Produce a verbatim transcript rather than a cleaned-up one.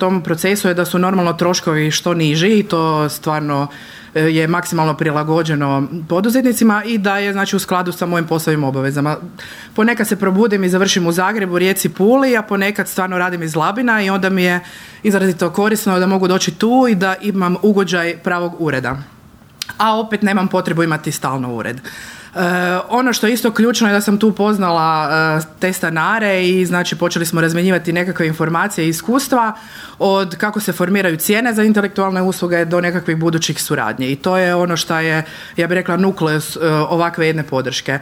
tom procesu je da su normalno troškovi što niži i to stvarno je maksimalno prilagođeno poduzetnicima i da je znači u skladu sa mojim poslovnim obavezama. Ponekad se probudim i završim u Zagrebu, Rijeci, Puli, a ponekad stvarno radim iz Labina i onda mi je izrazito korisno da mogu doći tu i da imam ugođaj pravog ureda. A opet nemam potrebu imati stalno ured. Uh, ono što je isto ključno je da sam tu upoznala uh, te stanare i znači počeli smo razmjenjivati nekakve informacije i iskustva od kako se formiraju cijene za intelektualne usluge do nekakvih budućih suradnji i to je ono što je, ja bih rekla, nukleus uh, ovakve jedne podrške.